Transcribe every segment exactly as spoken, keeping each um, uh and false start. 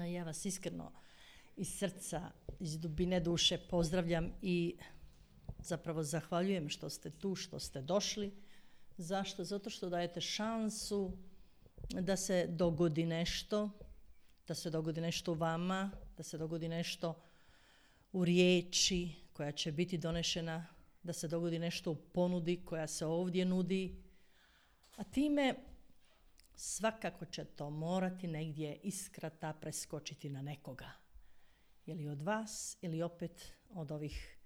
Ja vas iskreno iz srca, iz dubine duše pozdravljam i zapravo zahvaljujem što ste tu, što ste došli. Zašto? Zato što dajete šansu da se dogodi nešto, da se dogodi nešto u vama, da se dogodi nešto u riječi koja će biti donešena, da se dogodi nešto u ponudi koja se ovdje nudi, a time svakako će to morati negdje iskrata preskočiti na nekoga. Ili od vas, ili opet od ovih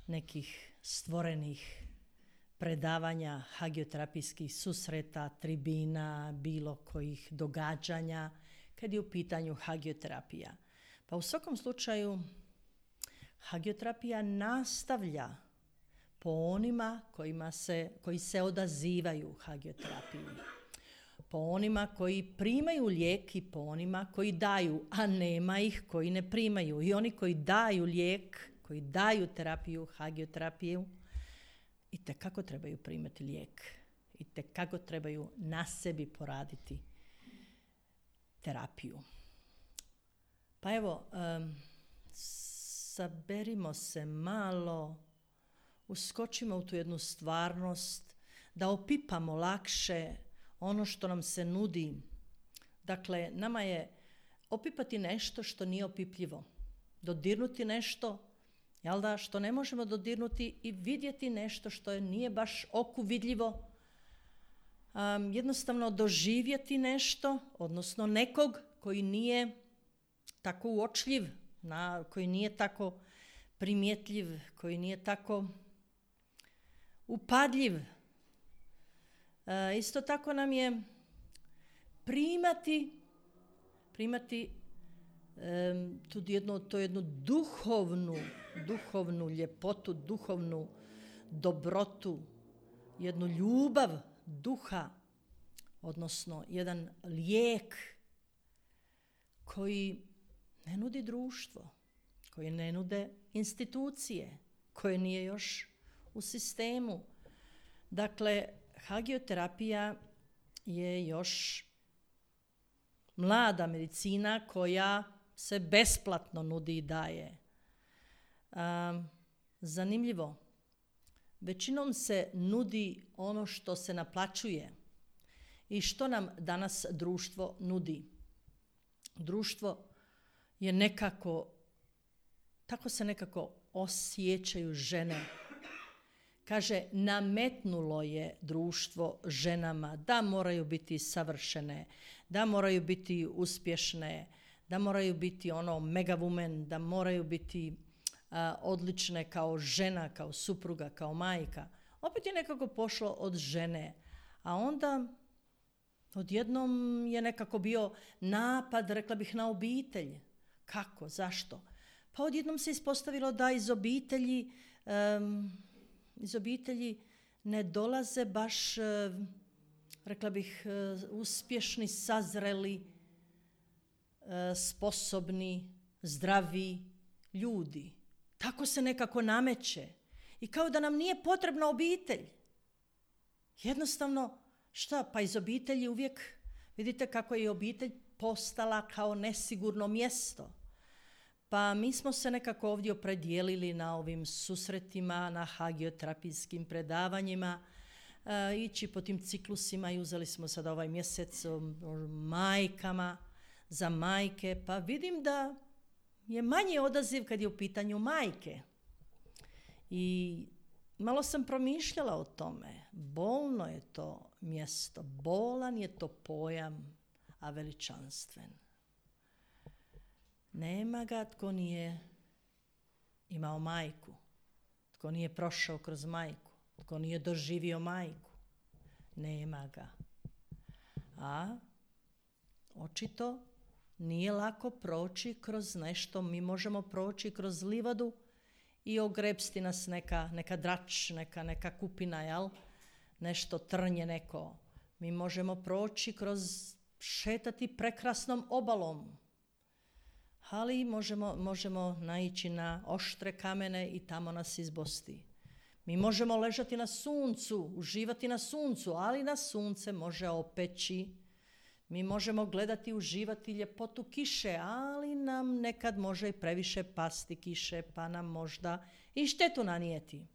nekih stvorenih predavanja, hagioterapijskih susreta, tribina, bilo kojih događanja, kad je u pitanju hagioterapija. Pa u svakom slučaju, hagioterapija nastavlja po onima kojima se, koji se odazivaju hagioterapiji. Po onima koji primaju lijek i po onima koji daju, a nema ih koji ne primaju. I oni koji daju lijek, koji daju terapiju, hagioterapiju, i tekako trebaju primati lijek. I tekako trebaju na sebi poraditi terapiju. Pa evo, um, saberimo se malo, uskočimo u tu jednu stvarnost, da opipamo lakše ono što nam se nudi. Dakle, nama je opipati nešto što nije opipljivo. Dodirnuti nešto, jel da, što ne možemo dodirnuti i vidjeti nešto što je nije baš oku vidljivo. Um, jednostavno doživjeti nešto, odnosno nekog koji nije tako uočljiv, na, koji nije tako primjetljiv, koji nije tako upadljiv. E, isto tako nam je primati, primati e, tu jednu, to jednu duhovnu, duhovnu ljepotu, duhovnu dobrotu, jednu ljubav duha, odnosno jedan lijek koji ne nudi društvo, koji ne nude institucije, koje nije još u sistemu. Dakle, hagioterapija je još mlada medicina koja se besplatno nudi i daje. Um, zanimljivo, većinom se nudi ono što se naplaćuje. I što nam danas društvo nudi? Društvo je nekako, tako se nekako osjećaju žene. Kaže, nametnulo je društvo ženama da moraju biti savršene, da moraju biti uspješne, da moraju biti ono mega woman, da moraju biti a, odlične kao žena, kao supruga, kao majka. Opet je nekako pošlo od žene, a onda odjednom je nekako bio napad, rekla bih, na obitelj. Kako? Zašto? Pa odjednom se ispostavilo da iz obitelji um, iz obitelji ne dolaze baš, rekla bih, uspješni, sazreli, sposobni, zdravi ljudi. Tako se nekako nameće. I kao da nam nije potrebna obitelj. Jednostavno, šta? Pa iz obitelji uvijek, vidite kako je obitelj postala kao nesigurno mjesto. Pa mi smo se nekako ovdje opredijelili na ovim susretima, na hagioterapijskim predavanjima, e, ići po tim ciklusima i uzeli smo sad ovaj mjesec o, o majkama, za majke, pa vidim da je manji odaziv kad je u pitanju majke. I malo sam promišljala o tome. Bolno je to mjesto, bolan je to pojam, a veličanstven. Nema ga tko nije imao majku, tko nije prošao kroz majku, tko nije doživio majku. Nema ga. A očito nije lako proći kroz nešto. Mi možemo proći kroz livadu i ogrebsti nas neka, neka drač, neka, neka kupina, jel? Nešto trnje neko. Mi možemo proći kroz, šetati prekrasnom obalom. Ali možemo, možemo naići na oštre kamene i tamo nas izbosti. Mi možemo ležati na suncu, uživati na suncu, ali nas sunce može opeći. Mi možemo gledati i uživati ljepotu kiše, ali nam nekad može i previše pasti kiše, pa nam možda i štetu nanijeti.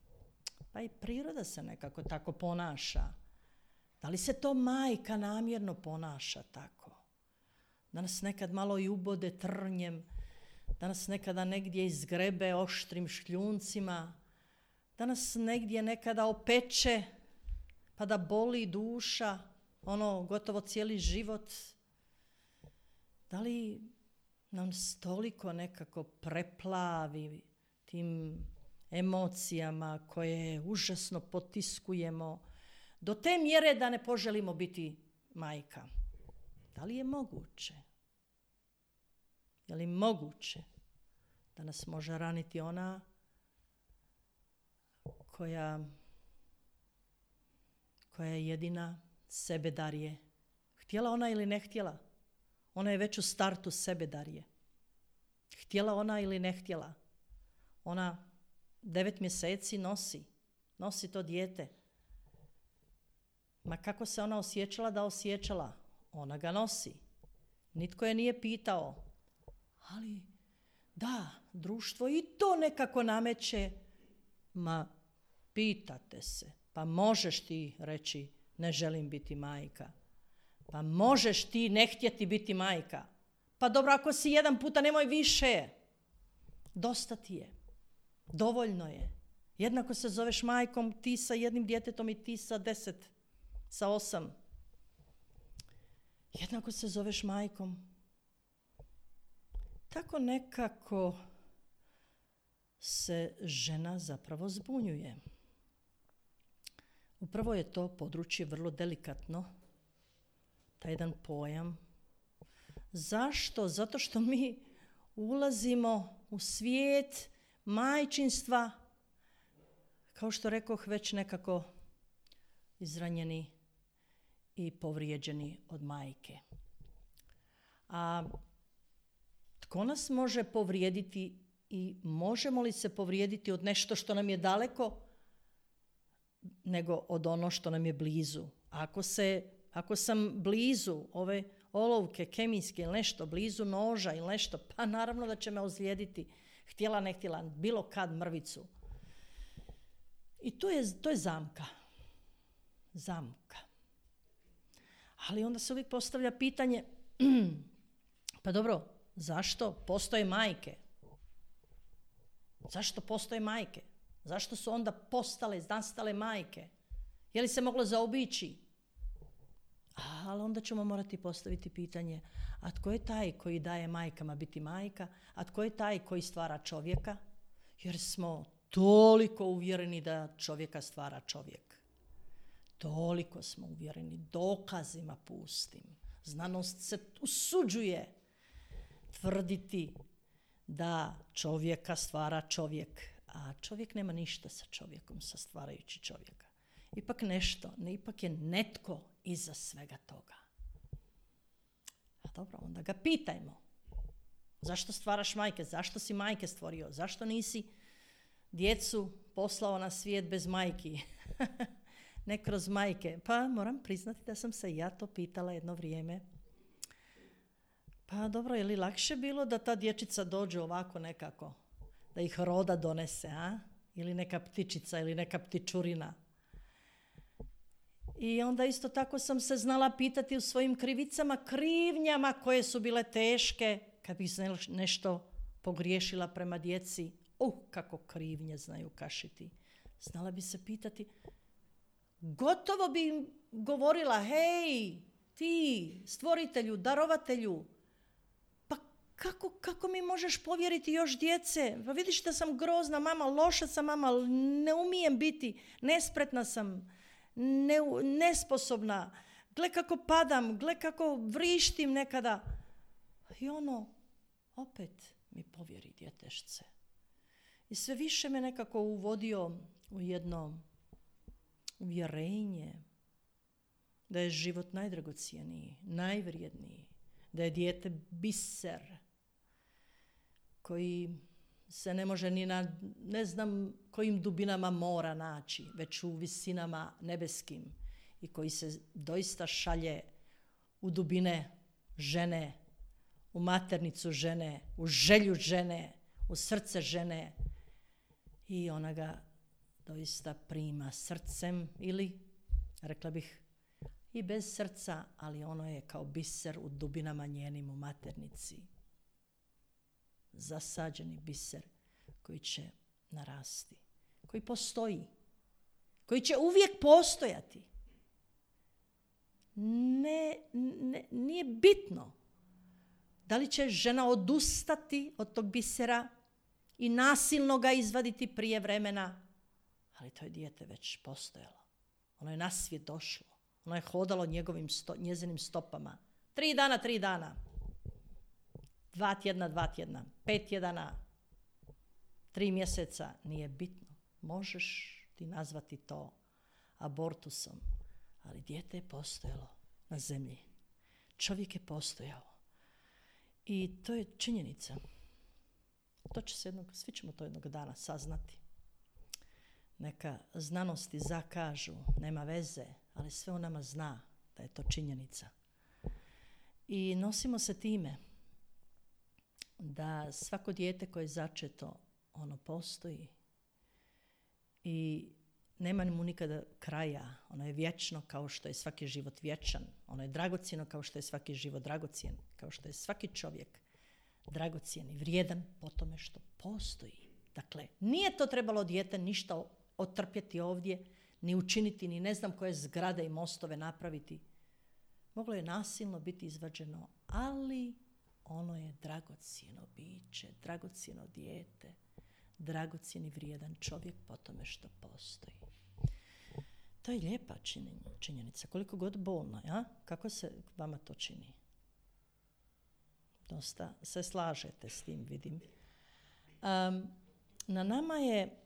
Pa i priroda se nekako tako ponaša. Da li se to majka namjerno ponaša tako? Da nas nekad malo i ubode trnjem, da nas nekada negdje izgrebe oštrim šljuncima, da nas negdje nekada opeče, pa da boli duša, ono gotovo cijeli život. Da li nam toliko nekako preplavi tim emocijama koje užasno potiskujemo do te mjere da ne poželimo biti majka? Da li je moguće? Je li moguće da nas može raniti ona koja, koja je jedina sebe darje? Htjela ona ili ne htjela? Ona je već u startu sebe darje. Htjela ona ili ne htjela? Ona devet mjeseci nosi, nosi to dijete. Ma kako se ona osjećala da osjećala? Ona ga nosi. Nitko je nije pitao. Ali da, društvo i to nekako nameće. Ma pitate se, pa možeš ti reći ne želim biti majka. Pa možeš ti ne htjeti biti majka. Pa dobro, ako si jedan puta, nemoj više. Dosta ti je. Dovoljno je. Jednako se zoveš majkom, ti sa jednim djetetom i ti sa deset, sa osam. Jednako se zoveš majkom. Tako nekako se žena zapravo zbunjuje. Upravo je to područje vrlo delikatno, taj jedan pojam. Zašto? Zato što mi ulazimo u svijet majčinstva, kao što rekoh, već nekako izranjeni i povrijeđeni od majke. A tko nas može povrijediti i možemo li se povrijediti od nešto što nam je daleko nego od ono što nam je blizu? Ako, se, ako sam blizu ove olovke kemijske ili nešto, blizu noža ili nešto, pa naravno da će me ozlijediti. Htjela, ne htjela, bilo kad mrvicu. I to je, to je zamka. Zamka. Ali onda se uvijek postavlja pitanje, pa dobro, zašto postoje majke? Zašto postoje majke? Zašto su onda postale, nastale majke? Je li se moglo zaobići? Ali onda ćemo morati postaviti pitanje, a tko je taj koji daje majkama biti majka? A tko je taj koji stvara čovjeka? Jer smo toliko uvjereni da čovjeka stvara čovjek. Toliko smo uvjereni, dokazima pustim. Znanost se usuđuje tvrditi da čovjeka stvara čovjek, a čovjek nema ništa sa čovjekom, sa stvarajući čovjeka. Ipak nešto, ne, ipak je netko iza svega toga. A dobro, onda ga pitajmo. Zašto stvaraš majke? Zašto si majke stvorio? Zašto nisi djecu poslao na svijet bez majki? Ne kroz majke. Pa moram priznati da sam se ja to pitala jedno vrijeme. Pa dobro, je li lakše bilo da ta dječica dođe ovako nekako? Da ih roda donese, a? Ili neka ptičica ili neka ptičurina. I onda isto tako sam se znala pitati u svojim krivicama, krivnjama koje su bile teške, kad bih nešto pogriješila prema djeci. Uh, kako krivnje znaju kašiti. Znala bi se pitati, gotovo bi im govorila, hej, ti, stvoritelju, darovatelju, pa kako, kako mi možeš povjeriti još djece? Pa vidiš da sam grozna mama, loša sam mama, ne umijem biti, nespretna sam, ne, nesposobna, gle kako padam, gle kako vrištim nekada. I ono, opet mi povjeri djetešce. I sve više me nekako uvodio u jedno uvjerenje da je život najdragocjeniji, najvrijedniji, da je dijete biser koji se ne može ni na ne znam kojim dubinama mora naći, već u visinama nebeskim i koji se doista šalje u dubine žene, u maternicu žene, u želju žene, u srce žene i ona ga doista prima srcem ili, rekla bih, i bez srca, ali ono je kao biser u dubinama njenim u maternici. Zasađeni biser koji će narasti, koji postoji, koji će uvijek postojati. Ne, ne, nije bitno da li će žena odustati od tog bisera i nasilno ga izvaditi prije vremena, ali to je dijete već postojalo. Ono je na svijet došlo. Ono je hodalo njegovim sto, njezinim stopama. Tri dana, tri dana. Dva tjedna, dva tjedna. Pet tjedana. Tri mjeseca. Nije bitno. Možeš ti nazvati to abortusom. Ali dijete je postojalo na zemlji. Čovjek je postojao. I to je činjenica. To će se jednog, svi ćemo to jednog dana saznati. Neka znanosti zakažu, nema veze, ali sve u nama zna da je to činjenica. I nosimo se time da svako dijete koje je začeto, ono postoji i nema mu nikada kraja. Ono je vječno kao što je svaki život vječan. Ono je dragocjeno kao što je svaki život dragocjen. Kao što je svaki čovjek dragocjen i vrijedan po tome što postoji. Dakle, nije to trebalo dijete ništa otrpjeti ovdje, ni učiniti, ni ne znam koje zgrade i mostove napraviti. Moglo je nasilno biti izvađeno, ali ono je dragocjeno biće, dragocjeno dijete, dragocjen i vrijedan čovjek po tome što postoji. To je lijepa činjenica, koliko god bolna, ja? Kako se vama to čini? Dosta se slažete s tim, vidim. Um, na nama je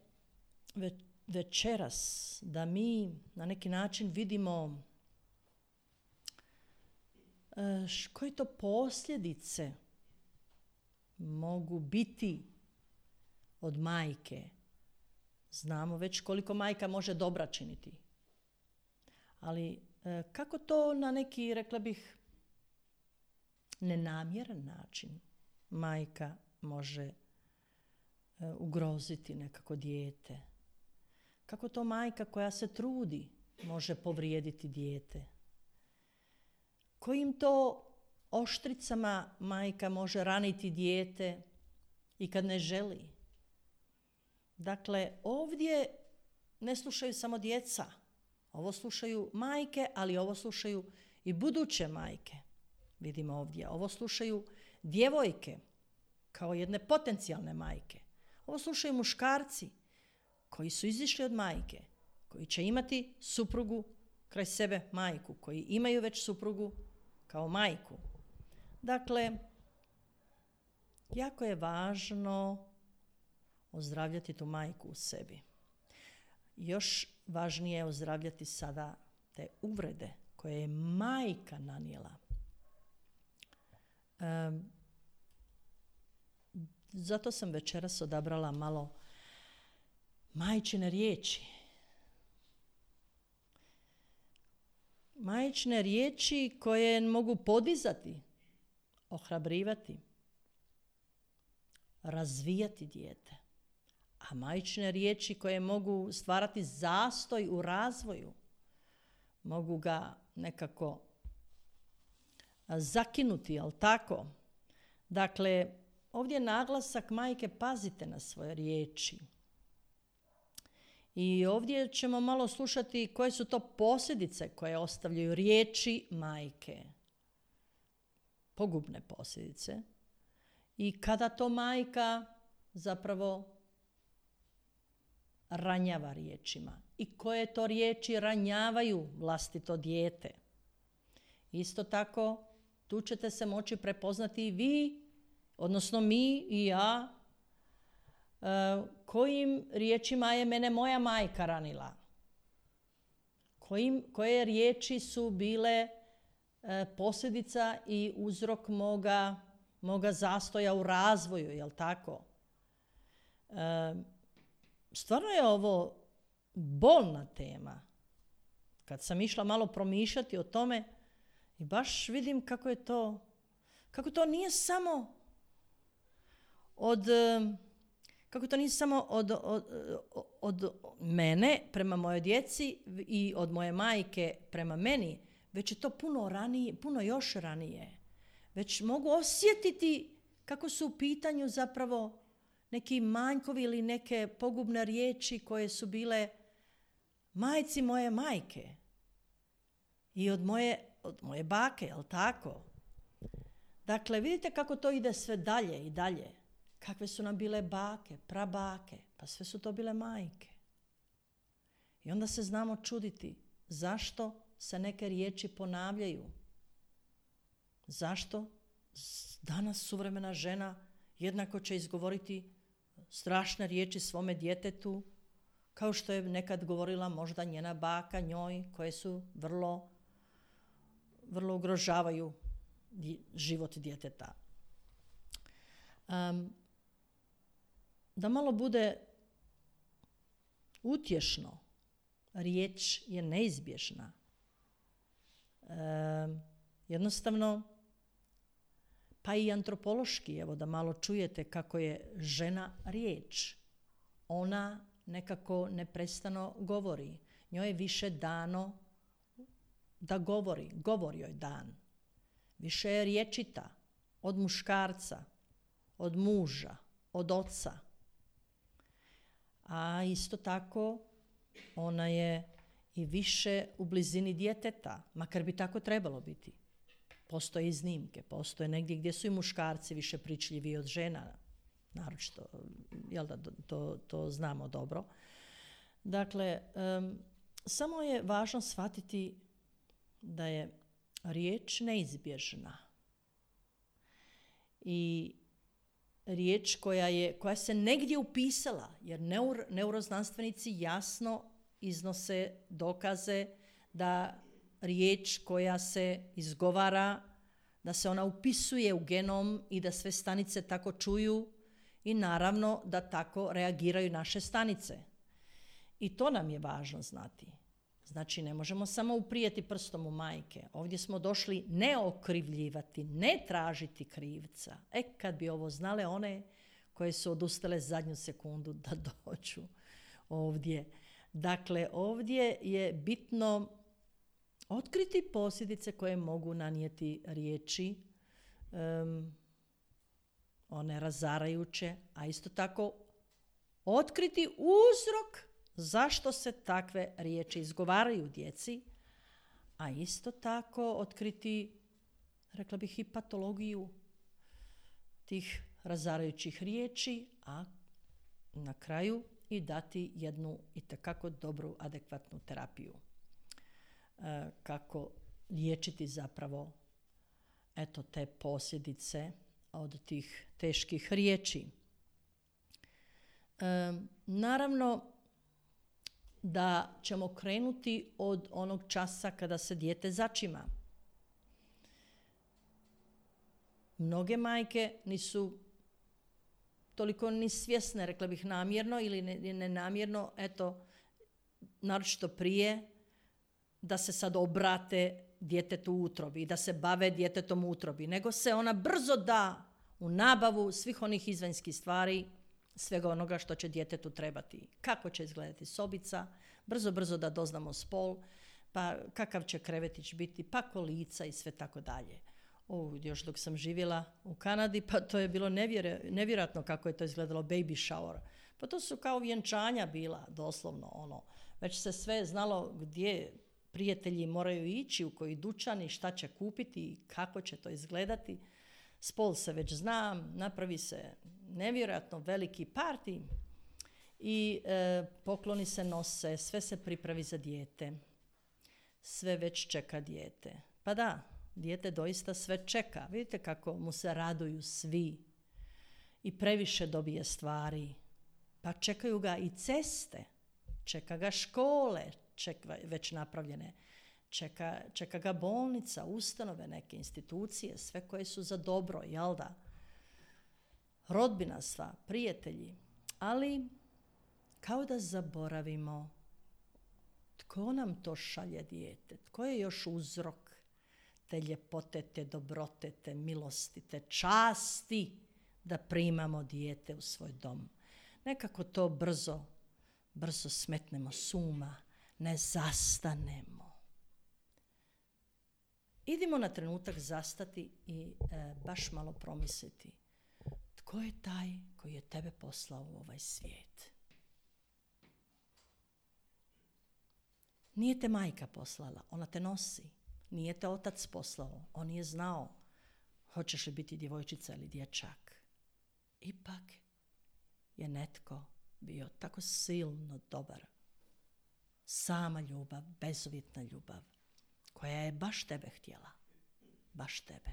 ve- večeras da mi na neki način vidimo uh, š, koje to posljedice mogu biti od majke. Znamo već koliko majka može dobra činiti. Ali uh, kako to na neki, rekla bih, nenamjeran način majka može uh, ugroziti nekako dijete. Kako to majka koja se trudi može povrijediti dijete. Kojim to oštricama majka može raniti dijete i kad ne želi. Dakle, ovdje ne slušaju samo djeca. Ovo slušaju majke, ali ovo slušaju i buduće majke. Vidimo ovdje. Ovo slušaju djevojke kao jedne potencijalne majke. Ovo slušaju muškarci koji su izišli od majke, koji će imati suprugu kraj sebe majku, koji imaju već suprugu kao majku. Dakle, jako je važno ozdravljati tu majku u sebi. Još važnije je ozdravljati sada te uvrede koje je majka nanijela. Um, zato sam večeras odabrala malo majčine riječi. Majčine riječi koje mogu podizati, ohrabrivati, razvijati dijete. A majčine riječi koje mogu stvarati zastoj u razvoju, mogu ga nekako zakinuti, jel tako? Dakle, ovdje je naglasak majke, pazite na svoje riječi. I ovdje ćemo malo slušati koje su to posljedice koje ostavljaju riječi majke. Pogubne posljedice. I kada to majka zapravo ranjava riječima. I koje to riječi ranjavaju vlastito dijete. Isto tako, tu ćete se moći prepoznati i vi, odnosno mi i ja, uh, kojim riječima je mene moja majka ranila. Kojim, koje riječi su bile uh, posljedica i uzrok moga, moga zastoja u razvoju, jel tako? Uh, stvarno je ovo bolna tema. Kad sam išla malo promišljati o tome, I baš vidim kako je to, kako to nije samo od, kako to nije samo od, od, od mene prema mojoj djeci i od moje majke prema meni, već je to puno ranije, puno još ranije. Već mogu osjetiti kako su u pitanju zapravo neki manjkovi ili neke pogubne riječi koje su bile majci moje majke i od moje, od moje bake, jel tako? Dakle, vidite kako to ide sve dalje i dalje. Kakve su nam bile bake, prabake, pa sve su to bile majke. I onda se znamo čuditi zašto se neke riječi ponavljaju. Zašto danas suvremena žena jednako će izgovoriti strašne riječi svome djetetu, kao što je nekad govorila možda njena baka njoj, koje su vrlo, vrlo ugrožavaju život djeteta. Um, da malo bude utješno, riječ je neizbježna. Um, jednostavno, pa i antropološki, evo da malo čujete kako je žena riječ. Ona nekako neprestano govori. Njoj je više dano da govori, govori joj dan. Više je riječita od muškarca, od muža, od oca. A isto tako ona je i više u blizini djeteta, makar bi tako trebalo biti. Postoje iznimke, postoje negdje gdje su i muškarci više pričljiviji od žena, naročito, jel da, to, to znamo dobro. Dakle, um, samo je važno shvatiti da je riječ neizbježna. I riječ koja, je, koja se negdje upisala, jer neur, neuroznanstvenici jasno iznose dokaze da riječ koja se izgovara, da se ona upisuje u genom i da sve stanice tako čuju i naravno da tako reagiraju naše stanice. I to nam je važno znati. Znači, ne možemo samo uprijeti prstom u majke. Ovdje smo došli ne okrivljivati, ne tražiti krivca. E, kad bi ovo znale one koje su odustale zadnju sekundu da dođu ovdje. Dakle, ovdje je bitno otkriti posljedice koje mogu nanijeti riječi, um, one razarajuće, a isto tako otkriti uzrok zašto se takve riječi izgovaraju djeci, a isto tako otkriti, rekla bih, i patologiju tih razarajućih riječi, a na kraju i dati jednu itekako dobru, adekvatnu terapiju. E, kako liječiti zapravo eto te posljedice od tih teških riječi. E, naravno da ćemo krenuti od onog časa kada se dijete začima. Mnoge majke nisu toliko ni svjesne, rekla bih namjerno ili nenamjerno, eto, naročito prije, da se sad obrate djetetu u utrobi i da se bave djetetom u utrobi, nego se ona brzo da u nabavu svih onih izvanjskih stvari, svega onoga što će djetetu trebati. Kako će izgledati sobica, brzo, brzo da doznamo spol, pa kakav će krevetić biti, pa kolica i sve tako dalje. O, još dok sam živjela u Kanadi, pa to je bilo nevjere, nevjerojatno kako je to izgledalo, baby shower. Pa to su kao vjenčanja bila, doslovno ono. Već se sve znalo gdje prijatelji moraju ići, u koji dućan i šta će kupiti i kako će to izgledati. Spol se već zna, napravi se nevjerojatno veliki parti i e, pokloni se nose, sve se pripravi za dijete. Sve već čeka dijete. Pa da, dijete doista sve čeka. Vidite kako mu se raduju svi i previše dobije stvari. Pa čekaju ga i ceste, čeka ga škole, čeka već napravljene, čeka, čeka ga bolnica, ustanove, neke institucije, sve koje su za dobro, jel da? Rodbina sva, prijatelji, ali kao da zaboravimo tko nam to šalje dijete, tko je još uzrok te ljepote, te dobrote, te milosti, te časti da primamo dijete u svoj dom. Nekako to brzo, brzo smetnemo s uma, ne zastanemo. Idimo na trenutak zastati i e, baš malo promisliti. Tko je taj koji je tebe poslao u ovaj svijet? Nije te majka poslala, ona te nosi. Nije te otac poslao, on je znao hoćeš li biti djevojčica ili dječak. Ipak je netko bio tako silno dobar. Sama ljubav, bezuvjetna ljubav, koja je baš tebe htjela. Baš tebe.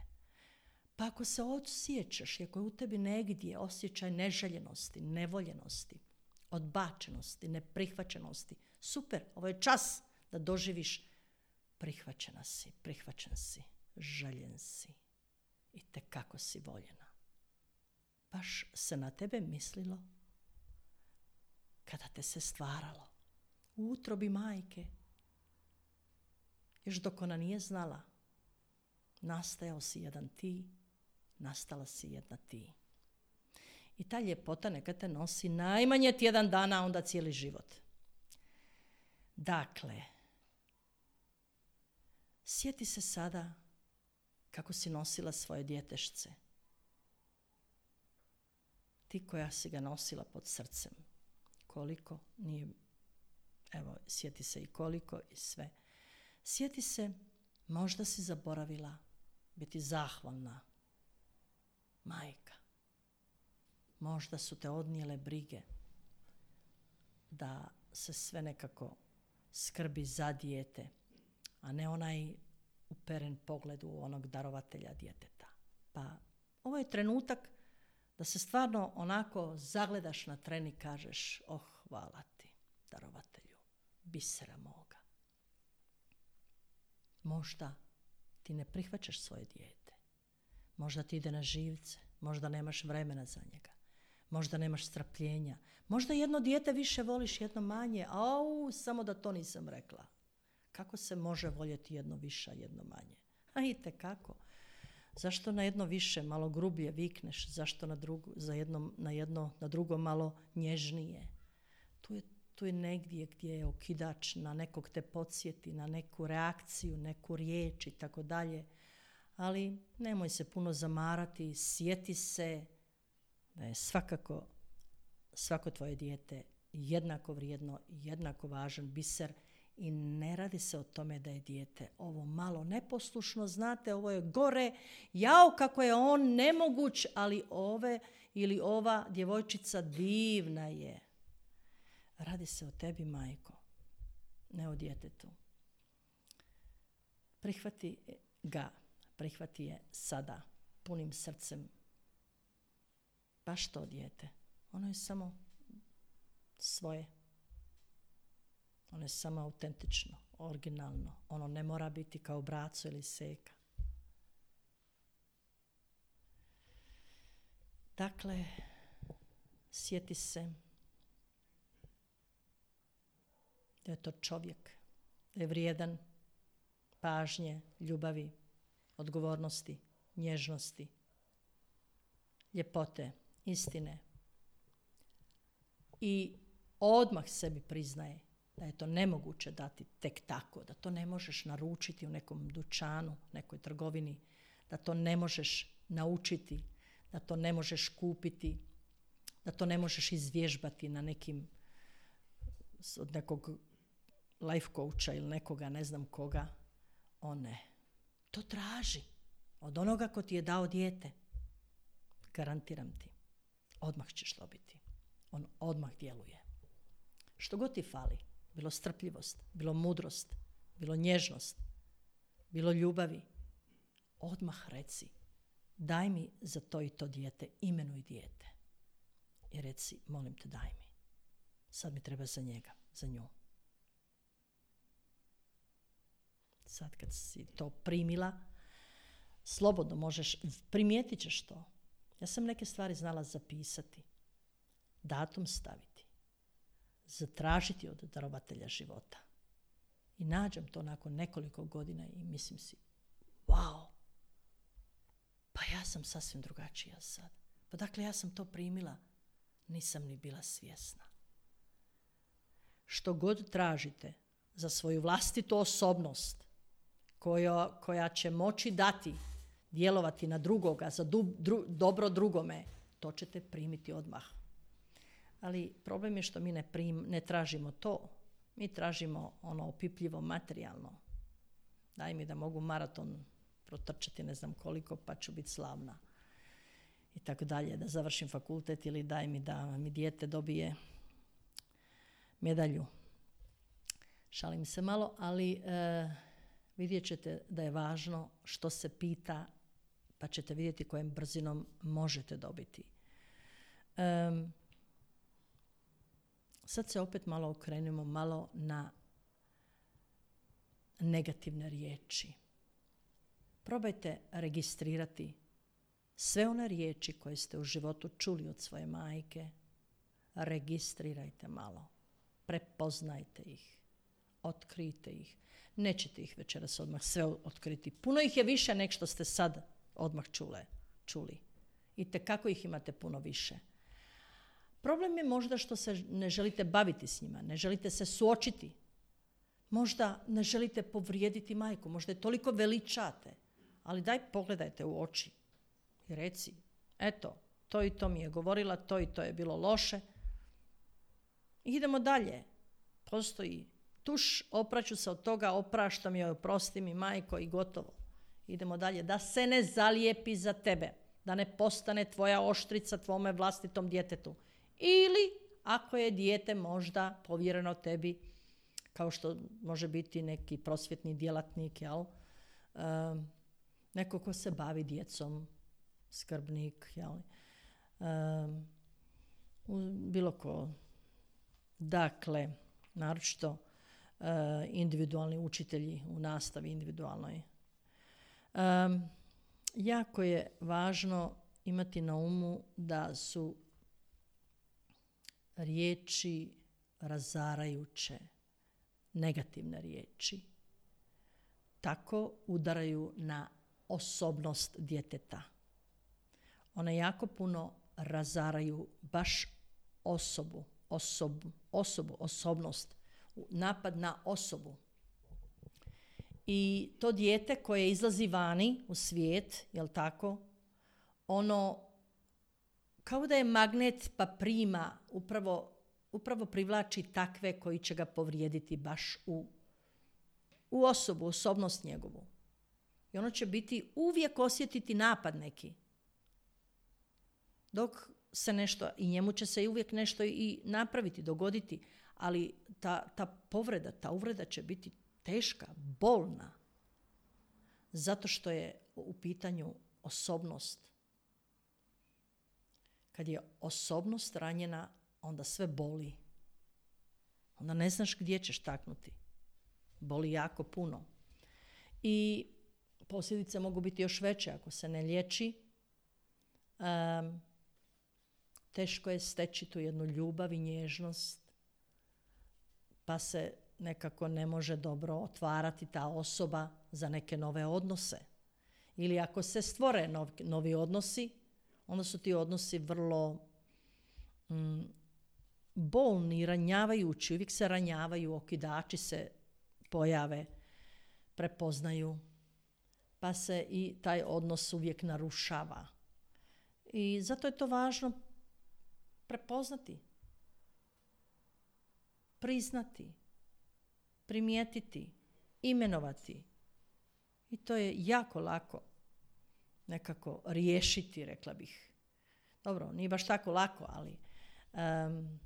Pa ako se osjećaš, ako je u tebi negdje osjećaj neželjenosti, nevoljenosti, odbačenosti, neprihvaćenosti, super, ovo je čas da doživiš prihvaćena si, prihvaćen si, željen si i tekako si voljena. Baš se na tebe mislilo kada te se stvaralo. U utrobi majke, još dok ona nije znala, nastajao si jedan ti, nastala si jedna ti. I ta ljepota neka te nosi najmanje tjedan dana, a onda cijeli život. Dakle, sjeti se sada kako si nosila svoje djetešce. Ti koja si ga nosila pod srcem. Koliko nije, evo, sjeti se i koliko i sve. Sjeti se, možda si zaboravila biti zahvalna majka. Možda su te odnijele brige da se sve nekako skrbi za dijete, a ne onaj uperen pogled u onog darovatelja djeteta. Pa ovo je trenutak da se stvarno onako zagledaš na tren i kažeš, oh, hvala ti, darovatelju, bisera moga. Možda ti ne prihvaćaš svoje dijete. Možda ti ide na živce. Možda nemaš vremena za njega. Možda nemaš strpljenja. Možda jedno dijete više voliš, jedno manje. Au, samo da to nisam rekla. Kako se može voljeti jedno više, jedno manje? A itekako. Zašto na jedno više malo grublje vikneš? Zašto na, drugu, za jedno, na, jedno, na drugo malo nježnije? Tu je, tu je negdje gdje je okidač, na nekog te podsjeti, na neku reakciju, neku riječ i tako dalje. Ali nemoj se puno zamarati, sjeti se da je svakako svako tvoje dijete jednako vrijedno, jednako važan biser i ne radi se o tome da je dijete ovo malo neposlušno, znate, ovo je gore, jao kako je on nemoguć, ali ove ili ova djevojčica divna je. Radi se o tebi, majko, ne o djetetu. Prihvati ga, prihvati je sada, punim srcem. Baš to dijete. Ono je samo svoje. Ono je samo autentično, originalno. Ono ne mora biti kao braco ili seka. Dakle, sjeti se da je to čovjek, da je vrijedan pažnje, ljubavi, odgovornosti, nježnosti, ljepote, istine. I odmah sebi priznaje da je to nemoguće dati tek tako, da to ne možeš naručiti u nekom dućanu, nekoj trgovini, da to ne možeš naučiti, da to ne možeš kupiti, da to ne možeš izvježbati na nekim, od nekog life coacha ili nekoga, ne znam koga. O ne. To traži od onoga ko ti je dao dijete. Garantiram ti. Odmah ćeš dobiti. On odmah djeluje. Što god ti fali, bilo strpljivost, bilo mudrost, bilo nježnost, bilo ljubavi, odmah reci, daj mi za to i to dijete, imenuj dijete. I reci, molim te, daj mi. Sad mi treba za njega, za nju. Sad kad si to primila, slobodno možeš, primijetit ćeš to. Ja sam neke stvari znala zapisati, datum staviti, zatražiti od darovatelja života. I nađem to nakon nekoliko godina i mislim si, wow, pa ja sam sasvim drugačija sad. Pa dakle, ja sam to primila, nisam ni bila svjesna. Što god tražite za svoju vlastitu osobnost, koja, koja će moći dati, djelovati na drugoga, za du, dru, dobro drugome, to ćete primiti odmah. Ali problem je što mi ne, prim, ne tražimo to. Mi tražimo ono opipljivo materijalno. Daj mi da mogu maraton protrčati ne znam koliko, pa ću biti slavna. I tako dalje, da završim fakultet ili daj mi da mi dijete dobije medalju. Šalim se malo, ali e, vidjet ćete da je važno što se pita, pa ćete vidjeti kojom brzinom možete dobiti. E, sad se opet malo okrenemo malo na negativne riječi. Probajte registrirati sve one riječi koje ste u životu čuli od svoje majke. Registrirajte malo. Prepoznajte ih. Otkrijte ih. Nećete ih večeras odmah sve otkriti. Puno ih je više nek što ste sad odmah čule, čuli. I tekako ih imate puno više. Problem je možda što se ne želite baviti s njima, ne želite se suočiti. Možda ne želite povrijediti majku, možda je toliko veličate. Ali daj pogledajte u oči i reci, eto, to i to mi je govorila, to i to je bilo loše. I idemo dalje. Postoji tuš, opraću se od toga, opraštam joj, oprosti mi majko i gotovo. Idemo dalje. Da se ne zalijepi za tebe, da ne postane tvoja oštrica tvome vlastitom djetetu. Ili ako je dijete možda povjereno tebi, kao što može biti neki prosvjetni djelatnik, jel? Um, neko ko se bavi djecom, skrbnik, jel? Um, bilo ko. Dakle, naročito uh, individualni učitelji u nastavi individualnoj. Um, jako je važno imati na umu da su riječi razarajuće, negativne riječi. Tako udaraju na osobnost djeteta. One jako puno razaraju baš osobu, osobu, osobu, osobnost, napad na osobu. I to dijete koje izlazi vani u svijet, jel tako, ono kao da je magnet pa prima, upravo, upravo privlači takve koji će ga povrijediti baš u, u osobu, osobnost njegovu. I ono će biti uvijek osjetiti napad neki. Dok se nešto, i njemu će se uvijek nešto i napraviti, dogoditi, ali ta, ta povreda, ta uvreda će biti teška, bolna, zato što je u pitanju osobnost. Kad je osobnost ranjena, onda sve boli. Onda ne znaš gdje ćeš taknuti. Boli jako puno. I posljedice mogu biti još veće ako se ne liječi. Um, teško je steći tu jednu ljubav i nježnost, pa se nekako ne može dobro otvarati ta osoba za neke nove odnose. Ili ako se stvore nov, novi odnosi, onda su ti odnosi vrlo mm, bolni, ranjavajući, uvijek se ranjavaju, okidači se pojave, prepoznaju, pa se i taj odnos uvijek narušava. I zato je to važno prepoznati, priznati, primijetiti, imenovati. I to je jako lako nekako riješiti, rekla bih. Dobro, nije baš tako lako, ali um,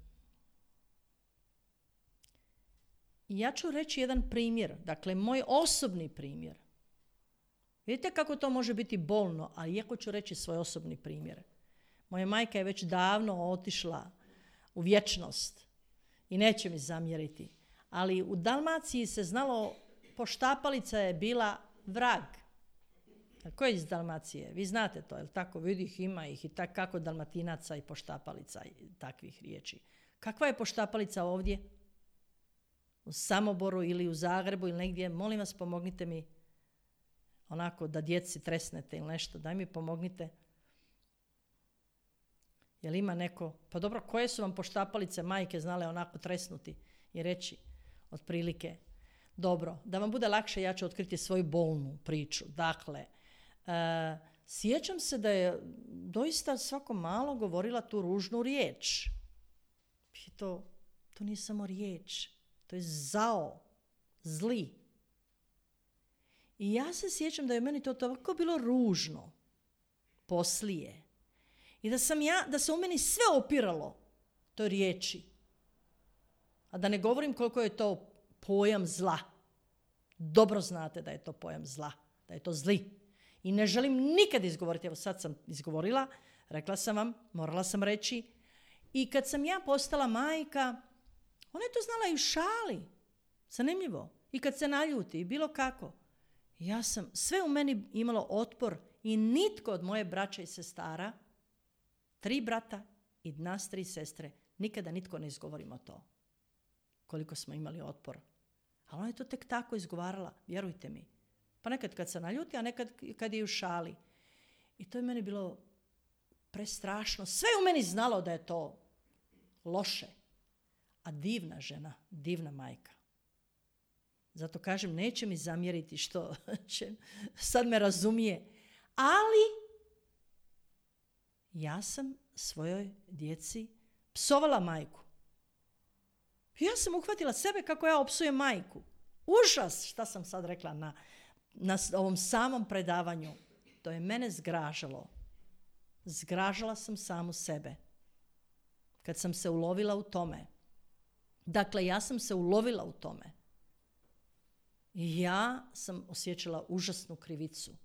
ja ću reći jedan primjer, dakle moj osobni primjer. Vidite kako to može biti bolno, ali iako ću reći svoj osobni primjer. Moja majka je već davno otišla u vječnost i neće mi zamjeriti. Ali u Dalmaciji se znalo, poštapalica je bila vrag. Ko je iz Dalmacije? Vi znate to, jel tako? Vidi ih, ima ih i tak, kako Dalmatinaca i poštapalica i takvih riječi. Kakva je poštapalica ovdje? U Samoboru ili u Zagrebu ili negdje? Molim vas, pomognite mi. onako da djeci tresnete ili nešto, daj mi pomognite. Jel ima neko, pa dobro, koje su vam poštapalice majke znale onako tresnuti i reći otprilike, dobro, da vam bude lakše, ja ću otkriti svoju bolnu priču. Dakle, e, sjećam se da je doista svako malo govorila tu ružnu riječ. I to, to nije samo riječ, to je zao, zli. I ja se sjećam da je meni to tako bilo ružno poslije. I da sam ja, da se u meni sve opiralo toj riječi. A da ne govorim koliko je to pojam zla. Dobro znate da je to pojam zla, da je to zli. I ne želim nikad izgovoriti, evo sad sam izgovorila, rekla sam vam, morala sam reći. I kad sam ja postala majka, ona je to znala i u šali. Zanimljivo. I kad se naljuti, i bilo kako. Ja sam sve u meni imalo otpor i nitko od moje braće i sestara, tri brata i nas tri sestre, nikada nitko ne izgovorimo to. Koliko smo imali otpor. Ali ona je to tek tako izgovarala, vjerujte mi. Pa nekad kad se naljuti, a nekad kad je u šali. I to je meni bilo prestrašno. Sve u meni znalo da je to loše. A divna žena, divna majka. Zato kažem, neće mi zamjeriti što će, sad me razumije. Ali ja sam svojoj djeci psovala majku. Ja sam uhvatila sebe kako ja opsujem majku. Užas, šta sam sad rekla na, na ovom samom predavanju. To je mene zgražalo. Zgražala sam samu sebe. Kad sam se ulovila u tome. Dakle, ja sam se ulovila u tome. I ja sam osjećala užasnu krivicu.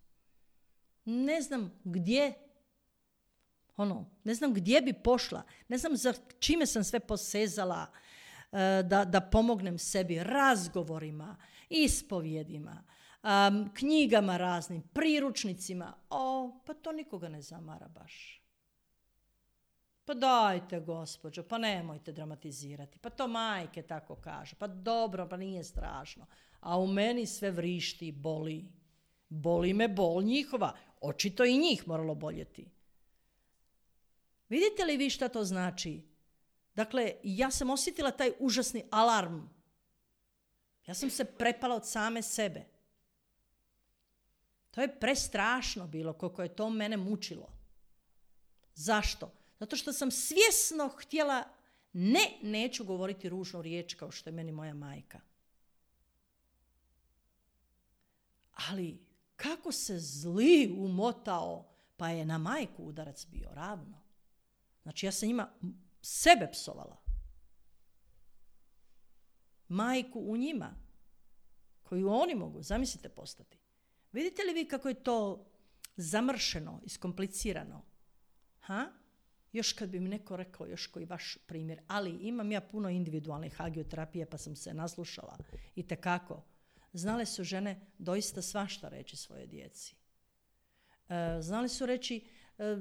Ne znam gdje, ono, ne znam gdje bi pošla. Ne znam za čime sam sve posezala da, da pomognem sebi razgovorima, ispovjedima, um, knjigama raznim, priručnicima. O, pa to nikoga ne zamara baš. Pa dajte, gospođo, pa nemojte dramatizirati. Pa to majke tako kažu. Pa dobro, pa nije strašno. A u meni sve vrišti i boli. Boli me bol njihova. Očito i njih moralo boljeti. Vidite li vi šta to znači? Dakle, ja sam osjetila taj užasni alarm. Ja sam se prepala od same sebe. To je prestrašno bilo koliko je to mene mučilo. Zašto? Zato što sam svjesno htjela, ne, neću govoriti ružnu riječ kao što je meni moja majka. Ali kako se zli umotao, pa je na majku udarac bio ravno. Znači ja sam njima sebe psovala. Majku u njima, koju oni mogu, zamislite, postati. Vidite li vi kako je to zamršeno, iskomplicirano? Ha? Još kad bi mi neko rekao, još koji vaš primjer, ali imam ja puno individualnih hagioterapije pa sam se naslušala i tekako. Znale su žene doista svašta reći svoje djeci. E, znali su reći, e,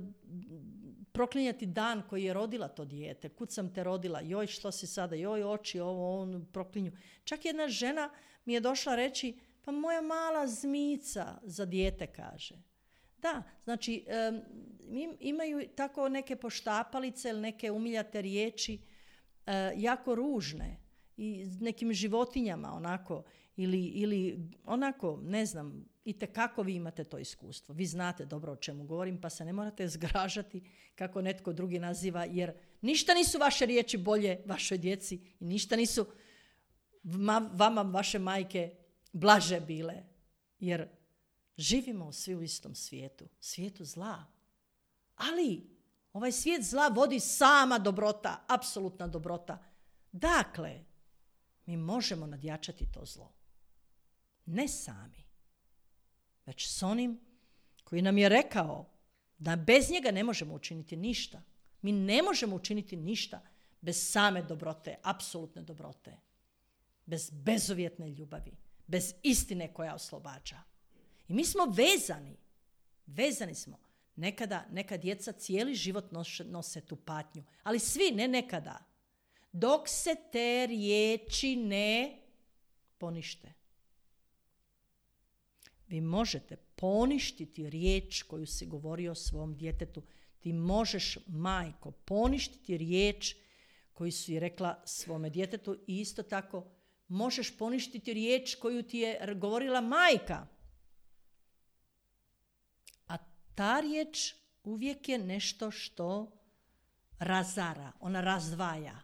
proklinjati dan koji je rodila to dijete. Kud sam te rodila, joj što si sada, joj oči, ovo, on proklinju. Čak jedna žena mi je došla reći, pa moja mala zmica za dijete, kaže. Da, znači um, imaju tako neke poštapalice ili neke umiljate riječi uh, jako ružne i nekim životinjama onako ili, ili onako, ne znam, itekako vi imate to iskustvo. Vi znate dobro o čemu govorim, pa se ne morate zgražati kako netko drugi naziva, jer ništa nisu vaše riječi bolje vašoj djeci i ništa nisu vama vaše majke blaže bile, jer živimo svi u istom svijetu, svijetu zla. Ali ovaj svijet zla vodi sama dobrota, apsolutna dobrota. Dakle, mi možemo nadjačati to zlo. Ne sami, već s onim koji nam je rekao da bez njega ne možemo učiniti ništa. Mi ne možemo učiniti ništa bez same dobrote, apsolutne dobrote. Bez bezuvjetne ljubavi, bez istine koja oslobađa. I mi smo vezani. Vezani smo. Nekada, neka djeca cijeli život nose, nose tu patnju. Ali svi, ne nekada. Dok se te riječi ne ponište. Vi možete poništiti riječ koju si govorio svom djetetu. Ti možeš, majko, poništiti riječ koju si rekla svome djetetu i isto tako možeš poništiti riječ koju ti je govorila majka. A ta riječ uvijek je nešto što razara, ona razdvaja.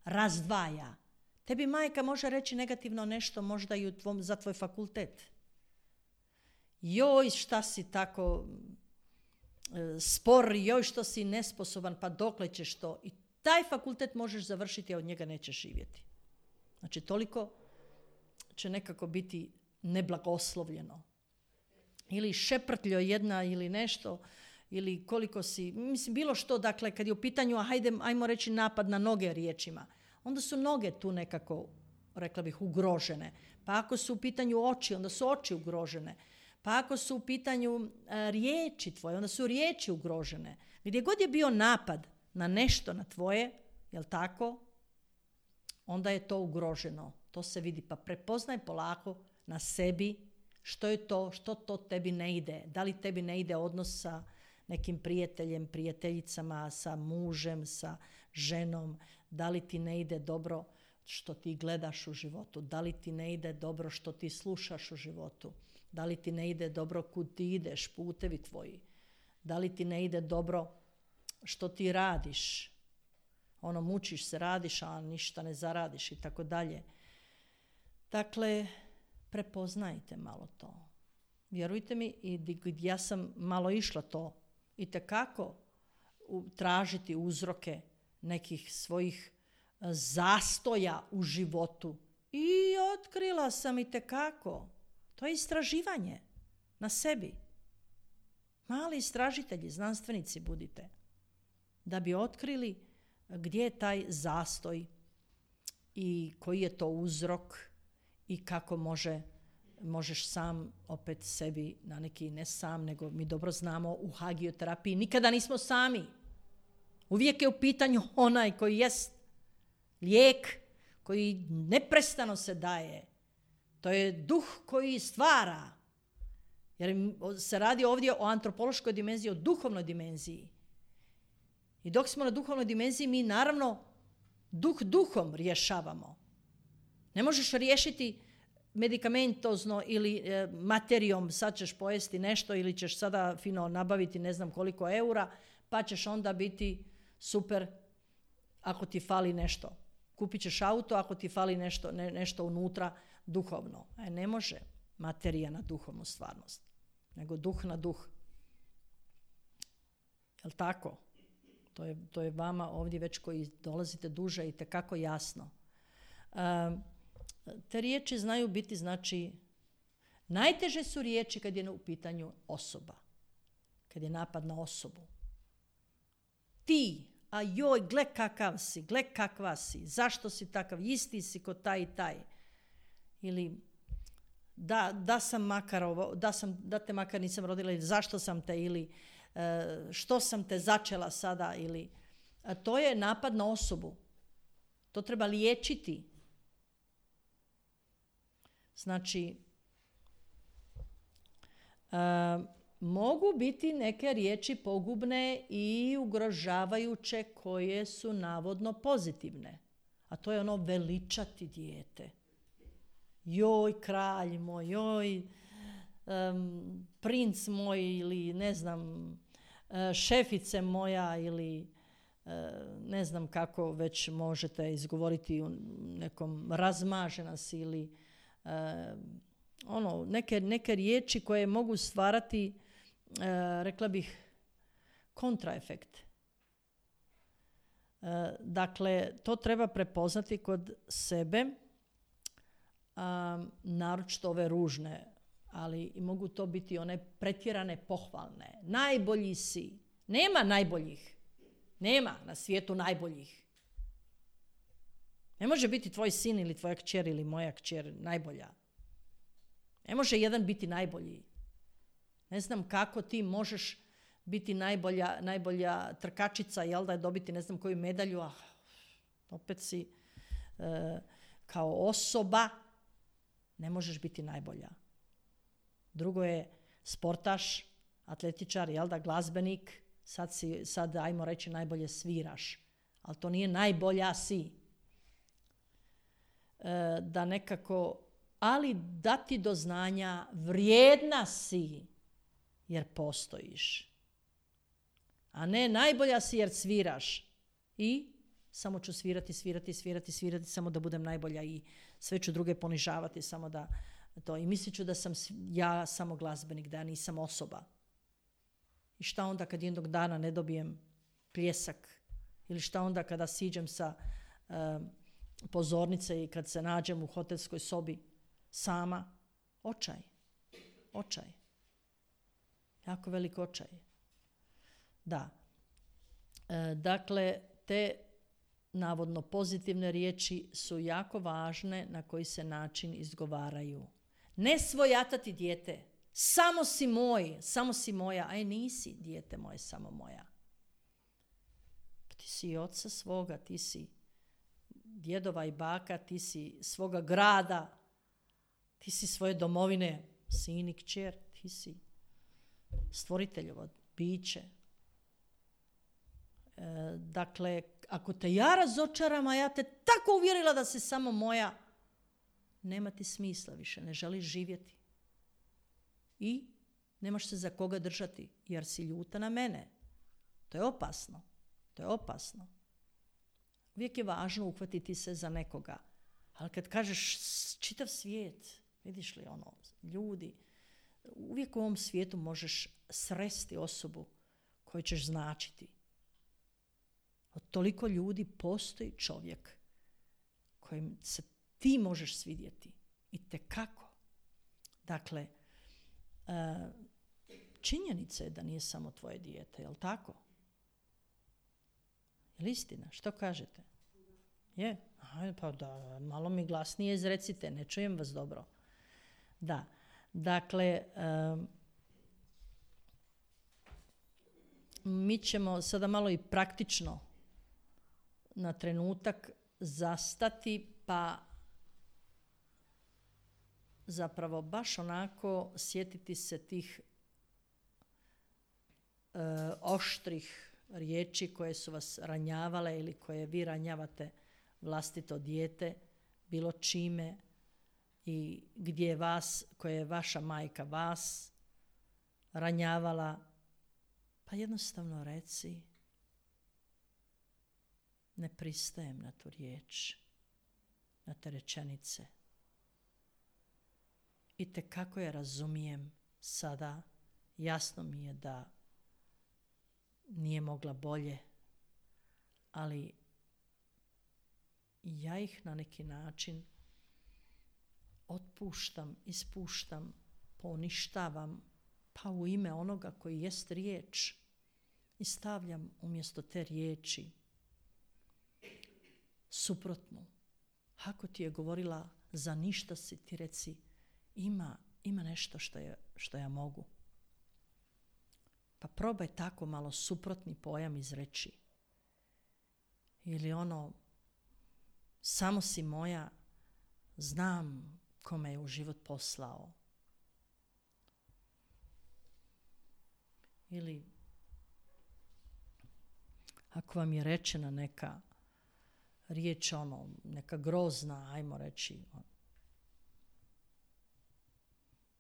Razdvaja. Tebi majka može reći negativno nešto možda i u tvom, za tvoj fakultet. Joj, šta si tako e, spor, joj, što si nesposoban, pa dokle ćeš to? I taj fakultet možeš završiti, a od njega nećeš živjeti. Znači, toliko će nekako biti neblagoslovljeno. Ili šeprtljo jedna ili nešto, ili koliko si, mislim, bilo što, dakle, kad je u pitanju, a hajde, ajmo reći napad na noge riječima, onda su noge tu nekako, rekla bih, ugrožene. Pa ako su u pitanju oči, onda su oči ugrožene. Pa ako su u pitanju a, riječi tvoje, onda su riječi ugrožene. Gdje god je bio napad na nešto, na tvoje, jel tako, onda je to ugroženo. To se vidi. Pa prepoznaj polako na sebi što je to, što to tebi ne ide. Da li tebi ne ide odnos sa nekim prijateljem, prijateljicama, sa mužem, sa ženom, da li ti ne ide dobro što ti gledaš u životu, da li ti ne ide dobro što ti slušaš u životu, da li ti ne ide dobro kud ti ideš, putevi tvoji, da li ti ne ide dobro što ti radiš, ono mučiš se, radiš, a ništa ne zaradiš i tako dalje. Dakle, prepoznajte malo to. Vjerujte mi, i ja sam malo išla to itekako tražiti uzroke nekih svojih zastoja u životu. I otkrila sam itekako. To je istraživanje na sebi. Mali istražitelji, znanstvenici budite. Da bi otkrili gdje je taj zastoj i koji je to uzrok i kako može, možeš sam opet sebi na neki, ne sam, nego mi dobro znamo u hagioterapiji nikada nismo sami. Uvijek je u pitanju onaj koji jest lijek, koji neprestano se daje. To je duh koji stvara. Jer se radi ovdje o antropološkoj dimenziji, o duhovnoj dimenziji. I dok smo na duhovnoj dimenziji, mi naravno duh duhom rješavamo. Ne možeš riješiti medikamentozno ili e, materijom, sad ćeš pojesti nešto ili ćeš sada fino nabaviti ne znam koliko eura, pa ćeš onda biti super ako ti fali nešto. Kupit ćeš auto ako ti fali nešto, ne, nešto unutra duhovno. E, ne može materija na duhovnu stvarnost, nego duh na duh. Jel' tako? To je, to je vama ovdje već koji dolazite duže i tekako jasno. Um, te riječi znaju biti, znači, najteže su riječi kad je u pitanju osoba. Kad je napad na osobu. Ti, a joj, gle kakav si, gle kakva si, zašto si takav, isti si ko taj i taj. Ili da, da sam makar ovo, da, sam, da te makar nisam rodila, ili zašto sam te, ili e, što sam te začela sada, ili a to je napad na osobu. To treba liječiti. Znači, e, mogu biti neke riječi pogubne i ugrožavajuće koje su navodno pozitivne. A to je ono veličati dijete. Joj, kralj moj, joj, um, princ moj ili ne znam, uh, šefice moja ili uh, ne znam kako već možete izgovoriti u nekom razmažena si ili uh, ono, neke, neke riječi koje mogu stvarati, uh, rekla bih, kontraefekt. Uh, dakle, to treba prepoznati kod sebe. Um, naročito ove ružne, ali mogu to biti one pretjerane pohvalne. Najbolji si. Nema najboljih. Nema na svijetu najboljih. Ne može biti tvoj sin ili tvoja kćer ili moja kćer najbolja. Ne može jedan biti najbolji. Ne znam kako ti možeš biti najbolja, najbolja trkačica, jel da je dobiti ne znam koju medalju, a opet si e, kao osoba ne možeš biti najbolja. Drugo je sportaš, atletičar, jel da, glazbenik, sad, si, sad ajmo reći najbolje sviraš, ali to nije najbolja si. E, da nekako, ali dati do znanja vrijedna si jer postojiš. A ne najbolja si jer sviraš. I samo ću svirati, svirati, svirati, svirati, samo da budem najbolja i sve ću druge ponižavati, samo da to. I mislit ću da sam ja samo glazbenik, da ja nisam osoba. I šta onda kad jednog dana ne dobijem pljesak? Ili šta onda kada siđem sa uh, pozornice i kad se nađem u hotelskoj sobi sama? Očaj. Očaj. Jako velik očaj. Da. E, dakle, te navodno pozitivne riječi su jako važne na koji se način izgovaraju. Ne svojatati dijete. Samo si moj, samo si moja. Aj nisi, dijete moje, samo moja. Ti si oca svoga, ti si djedova i baka, ti si svoga grada, ti si svoje domovine, sin i kćer, ti si stvoriteljovo biće. E, dakle, ako te ja razočaram, a ja te tako uvjerila da si samo moja, nema ti smisla više, ne želiš živjeti. I nemaš se za koga držati, jer si ljuta na mene. To je opasno. To je opasno. Uvijek je važno uhvatiti se za nekoga. Ali kad kažeš čitav svijet, vidiš li ono, ljudi, uvijek u ovom svijetu možeš sresti osobu koju ćeš značiti. Od toliko ljudi postoji čovjek kojim se ti možeš svidjeti. I tekako. Dakle, činjenica je da nije samo tvoje dijete, jel tako? Je li istina? Što kažete? Je? Aha, pa da, malo mi glasnije izrecite, ne čujem vas dobro. Da, dakle, um, mi ćemo sada malo i praktično na trenutak zastati, pa zapravo baš onako sjetiti se tih uh, oštrih riječi koje su vas ranjavale ili koje vi ranjavate vlastito dijete, bilo čime i gdje je vas, koje je vaša majka vas ranjavala, pa jednostavno reci ne pristajem na tu riječ, na te rečenice. I tekako je razumijem sada, jasno mi je da nije mogla bolje, ali ja ih na neki način otpuštam, ispuštam, poništavam, pa u ime onoga koji jest riječ i stavljam umjesto te riječi suprotnu. Ako ti je govorila za ništa si, ti reci ima, ima nešto što, je, što ja mogu. Pa probaj tako malo suprotni pojam izreći. Ili ono, samo si moja, znam ko me je u život poslao. Ili ako vam je rečena neka riječ, ono, neka grozna, ajmo reći,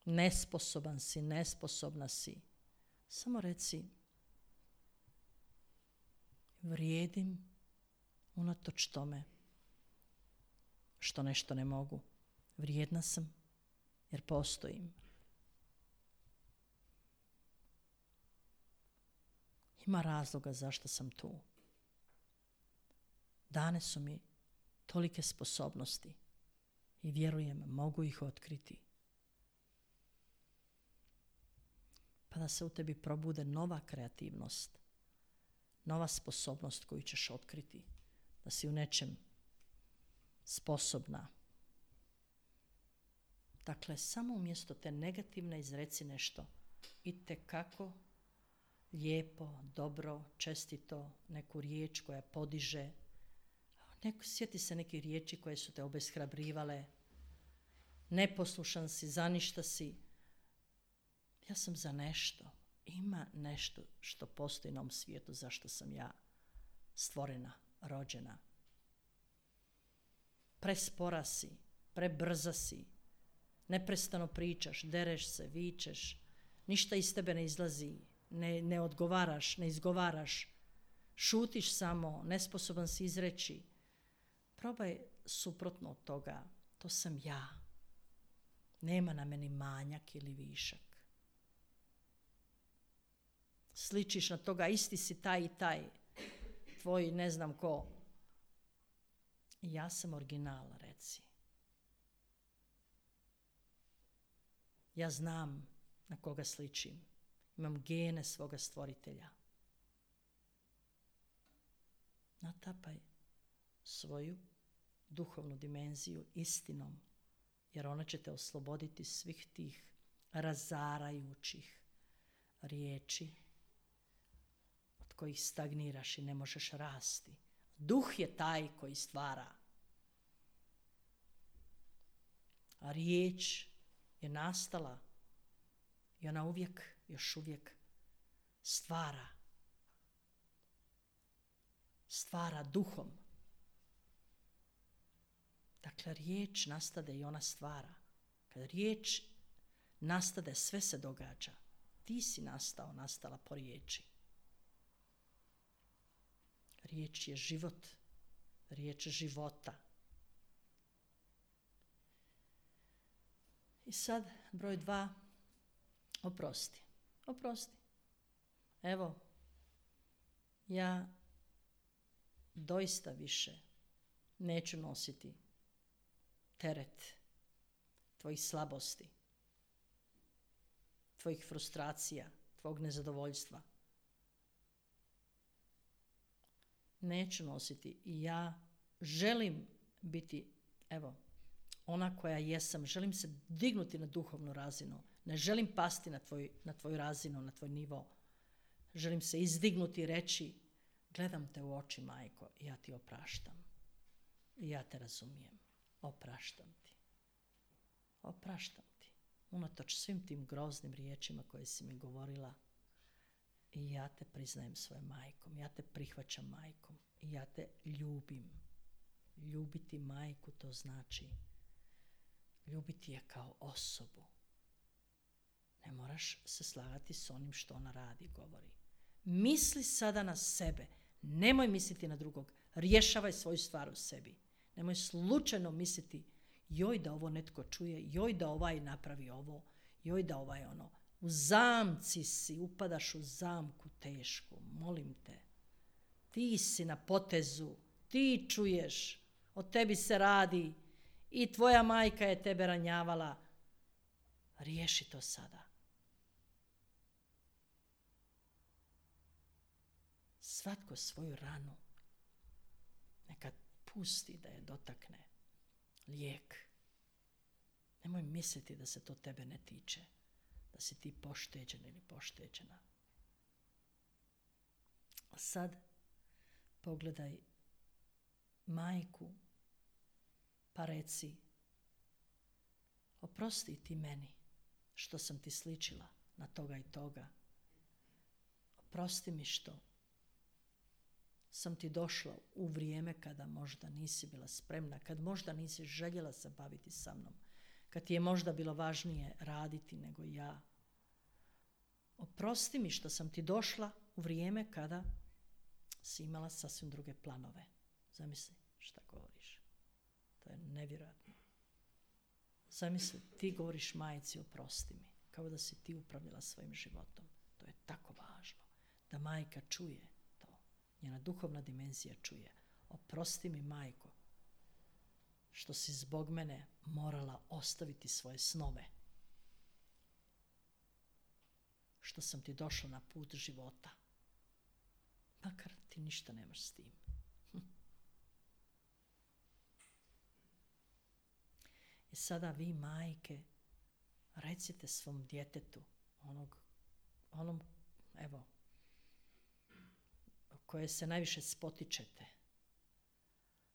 nesposoban si, nesposobna si, samo reci vrijedim unatoč tome što nešto ne mogu. Vrijedna sam jer postojim. Ima razloga zašto sam tu. Dane su mi tolike sposobnosti i vjerujem mogu ih otkriti. Pa da se u tebi probude nova kreativnost, nova sposobnost koju ćeš otkriti, da si u nečem sposobna. Dakle, samo umjesto te negativne izreci nešto itekako lijepo, dobro, čestito, neku riječ koja podiže. Neko, sjeti se neke riječi koje su te obeshrabrivale. Neposlušan si, za ništa si. Ja sam za nešto. Ima nešto što postoji na ovom svijetu zašto sam ja stvorena, rođena. Prespora si, prebrza si, neprestano pričaš, dereš se, vičeš, ništa iz tebe ne izlazi, ne, ne odgovaraš, ne izgovaraš, šutiš samo, nesposoban si izreći. Probaj suprotno od toga, to sam ja. Nema na meni manjak ili višak. Sličiš na toga, isti si taj i taj, tvoj ne znam ko. Ja sam original, reci. Ja znam na koga sličim. Imam gene svoga stvoritelja. Natapaj svoju duhovnu dimenziju istinom, jer ona će te osloboditi svih tih razarajućih riječi od kojih stagniraš i ne možeš rasti. Duh je taj koji stvara. A riječ je nastala i ona uvijek, još uvijek stvara. Stvara duhom. Dakle, riječ nastade i ona stvara. Kad riječ nastade, sve se događa. Ti si nastao, nastala po riječi. Riječ je život. Riječ života. I sad, broj dva, oprosti. Oprosti. Evo, ja doista više neću nositi teret tvojih slabosti, tvojih frustracija, tvojeg nezadovoljstva. Neću nositi i ja želim biti, evo, ona koja jesam. Želim se dignuti na duhovnu razinu. Ne želim pasti na, tvoj, na tvoju razinu, na tvoj nivo. Želim se izdignuti i reći, gledam te u oči, majko, i ja ti opraštam. I ja te razumijem. Opraštam ti. Opraštam ti. Unatoč svim tim groznim riječima koje si mi govorila, i ja te priznajem svojom majkom. Ja te prihvaćam majkom. I ja te ljubim. Ljubiti majku, to znači ljubiti je kao osobu. Ne moraš se slagati s onim što ona radi, govori. Misli sada na sebe. Nemoj misliti na drugog. Rješavaj svoju stvar u sebi. Nemoj slučajno misliti, joj da ovo netko čuje, joj da ovaj napravi ovo, joj da ovaj ono. U zamci si, upadaš u zamku tešku, molim te. Ti si na potezu, ti čuješ, o tebi se radi i tvoja majka je tebe ranjavala. Riješi to sada. Svatko svoju ranu neka pusti da je dotakne lijek. Nemoj misliti da se to tebe ne tiče, da si ti pošteđen ili pošteđena. A sad pogledaj majku pa reci, oprosti ti meni što sam ti sličila na toga i toga. Oprosti mi što sam ti došla u vrijeme kada možda nisi bila spremna, kad možda nisi željela se baviti sa mnom, kad ti je možda bilo važnije raditi nego ja. Oprosti mi što sam ti došla u vrijeme kada si imala sasvim druge planove. Zamisli šta govoriš. To je nevjerojatno. Zamisli, ti govoriš majci oprosti mi, kao da si ti upravljala svojim životom. To je tako važno da majka čuje to. Njena duhovna dimenzija čuje. Oprosti mi, majko, što si zbog mene morala ostaviti svoje snove. Što sam ti došla na put života. Makar ti ništa nemaš s tim. I sada vi, majke, recite svom djetetu, onog, onom, evo, koje se najviše spotičete.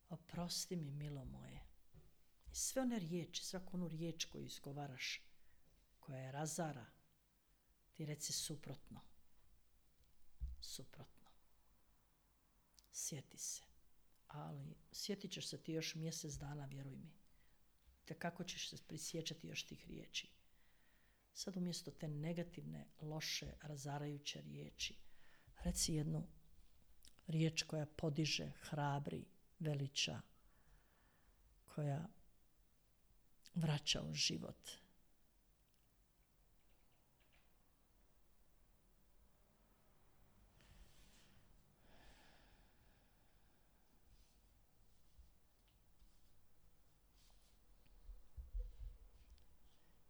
Oprosti mi, milo moje. I sve one riječi, svaku onu riječ koju izgovaraš, koja je razara, ti reci suprotno. Suprotno. Sjeti se. Ali sjetit ćeš se ti još mjesec dana, vjeruj mi. Te kako ćeš se prisjećati još tih riječi. Sad umjesto te negativne, loše, razarajuće riječi, reci jednu riječ koja podiže, hrabri, veliča, koja vraća u život.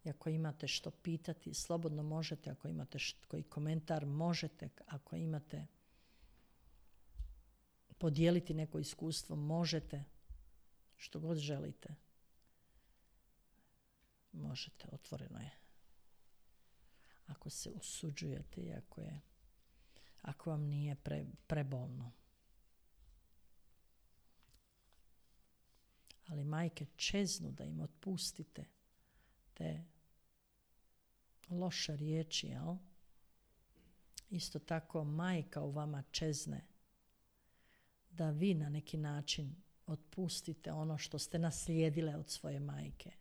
I ako imate što pitati, slobodno možete, ako imate što, koji komentar možete, ako imate podijeliti neko iskustvo, možete, što god želite. Možete, otvoreno je. Ako se usuđujete i ako, je, ako vam nije pre, prebolno. Ali majke čeznu da im otpustite te loše riječi, jel? Isto tako majka u vama čezne da vi na neki način otpustite ono što ste naslijedile od svoje majke.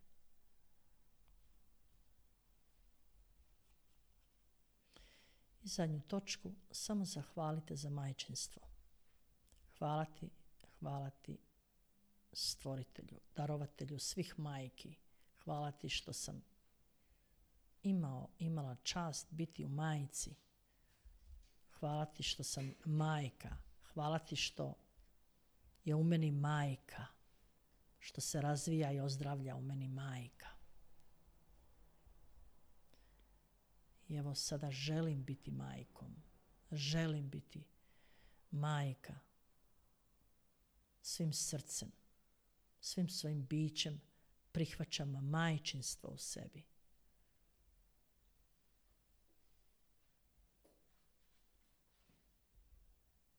I zadnju točku, samo zahvalite za majčinstvo. Hvala ti, hvala ti stvoritelju, darovatelju svih majki. Hvala ti što sam imao, imala čast biti u majci. Hvala ti što sam majka. Hvala ti što je u meni majka. Što se razvija i ozdravlja u meni majka. I evo sada želim biti majkom. Želim biti majka. Svim srcem, svim svojim bićem prihvaćam majčinstvo u sebi.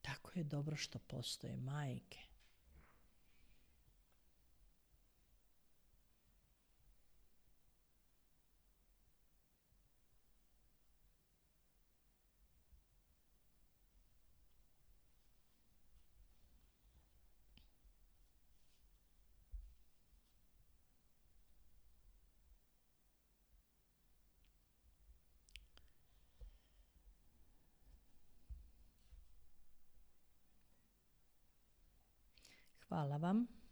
Tako je dobro što postoje majke. Hvala vam.